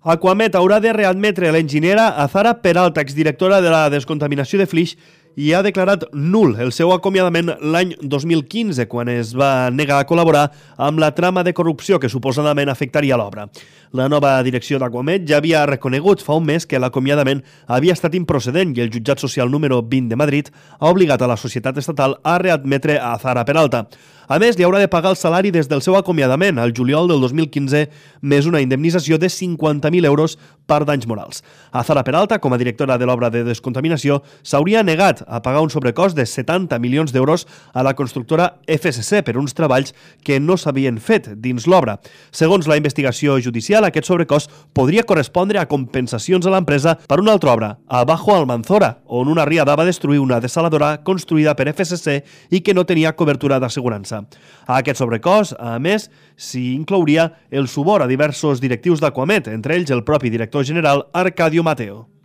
Aquamet haurà de readmetre l'enginyera Azara Peralta, exdirectora de la descontaminació de Flix, i ha declarat nul el seu acomiadament l'any 2015, quan es va negar a col·laborar amb la trama de corrupció que suposadament afectaria l'obra. La nova direcció d'Aquamet ja havia reconegut fa un mes que l'acomiadament havia estat improcedent i el jutjat social número 20 de Madrid ha obligat a la societat estatal a readmetre a Azara Peralta. A més, li haurà de pagar el salari des del seu acomiadament al juliol del 2015, més una indemnització de 50.000 euros per danys morals. Azara Peralta, com a directora de l'obra de descontaminació, s'hauria negat a pagar un sobrecost de 70 milions d'euros a la constructora FSC per uns treballs que no s'havien fet dins l'obra. Segons la investigació judicial, aquest sobrecost podria correspondre a compensacions a l'empresa per una altra obra, a Bajo Almanzora, on una riada va destruir una dessaladora construïda per FSC i que no tenia cobertura d'assegurança. A aquest sobrecost, a més, s'hi inclouria el subor a diversos directius d'Aquamet, entre ells el propi director general Arcadio Mateo.